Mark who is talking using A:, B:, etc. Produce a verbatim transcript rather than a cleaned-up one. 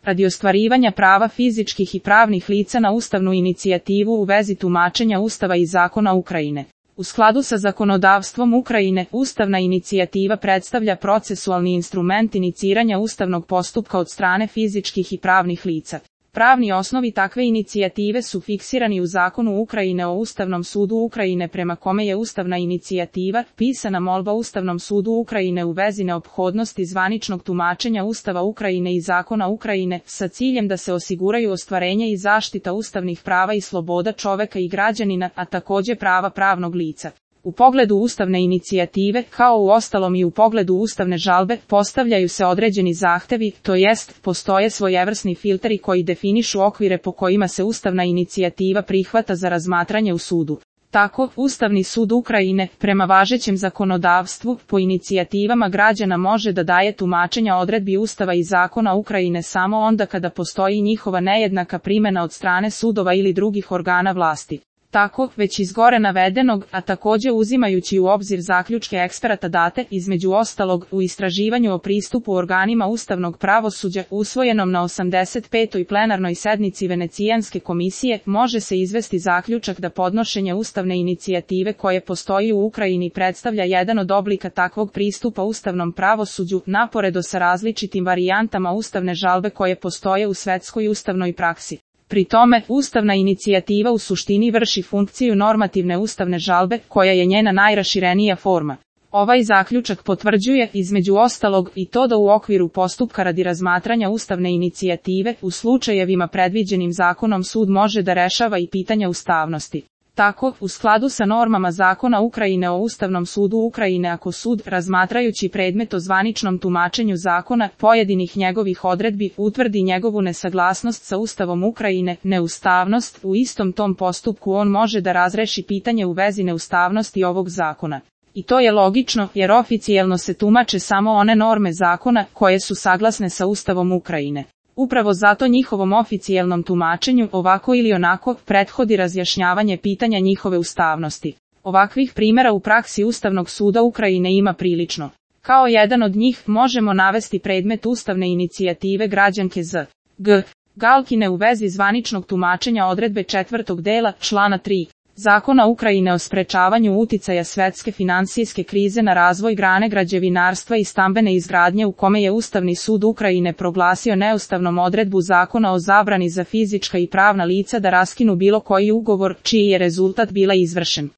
A: radi ostvarivanja prava fizičkih i pravnih lica na ustavnu inicijativu u vezi tumačenja Ustava i zakona Ukrajine. U skladu sa zakonodavstvom Ukrajine, ustavna inicijativa predstavlja procesualni instrument iniciranja ustavnog postupka od strane fizičkih i pravnih lica. Pravni osnovi takve inicijative su fiksirani u zakonu Ukrajine o Ustavnom sudu Ukrajine, prema kome je ustavna inicijativa pisana molba Ustavnom sudu Ukrajine u vezi neophodnosti zvaničnog tumačenja Ustava Ukrajine i zakona Ukrajine, sa ciljem da se osiguraju ostvarenje i zaštita ustavnih prava i sloboda čoveka i građanina, a također prava pravnog lica. U pogledu ustavne inicijative, kao u ostalom i u pogledu ustavne žalbe, postavljaju se određeni zahtevi, to jest, postoje svojevrsni filteri koji definišu okvire po kojima se ustavna inicijativa prihvata za razmatranje u sudu. Tako, Ustavni sud Ukrajine, prema važećem zakonodavstvu, po inicijativama građana može da daje tumačenja odredbi Ustava i zakona Ukrajine samo onda kada postoji njihova nejednaka primjena od strane sudova ili drugih organa vlasti. Tako, već iz gore navedenog, a također uzimajući u obzir zaključke eksperata date, između ostalog, u istraživanju o pristupu organima ustavnog pravosuđa, usvojenom na osamdeset petoj plenarnoj sednici Venecijanske komisije, može se izvesti zaključak da podnošenje ustavne inicijative koje postoji u Ukrajini predstavlja jedan od oblika takvog pristupa ustavnom pravosuđu, naporedo sa različitim varijantama ustavne žalbe koje postoje u svetskoj ustavnoj praksi. Pri tome, ustavna inicijativa u suštini vrši funkciju normativne ustavne žalbe, koja je njena najraširenija forma. Ovaj zaključak potvrđuje, između ostalog, i to da u okviru postupka radi razmatranja ustavne inicijative, u slučajevima predviđenim zakonom sud može da rešava i pitanja ustavnosti. Tako, u skladu sa normama zakona Ukrajine o Ustavnom sudu Ukrajine, ako sud, razmatrajući predmet o zvaničnom tumačenju zakona, pojedinih njegovih odredbi, utvrdi njegovu nesaglasnost sa Ustavom Ukrajine, neustavnost, u istom tom postupku on može da razreši pitanje u vezi neustavnosti ovog zakona. I to je logično, jer oficijelno se tumače samo one norme zakona, koje su saglasne sa Ustavom Ukrajine. Upravo zato njihovom oficijelnom tumačenju, ovako ili onako, prethodi razjašnjavanje pitanja njihove ustavnosti. Ovakvih primjera u praksi Ustavnog suda Ukrajine ima prilično. Kao jedan od njih možemo navesti predmet ustavne inicijative građanke Z. G. Galkine u vezi zvaničnog tumačenja odredbe četvrtog dela, člana tri. Zakona Ukrajine o sprečavanju uticaja svetske finansijske krize na razvoj grane građevinarstva i stambene izgradnje, u kome je Ustavni sud Ukrajine proglasio neustavnom odredbu zakona o zabrani za fizička i pravna lica da raskinu bilo koji ugovor čiji je rezultat bila izvršen.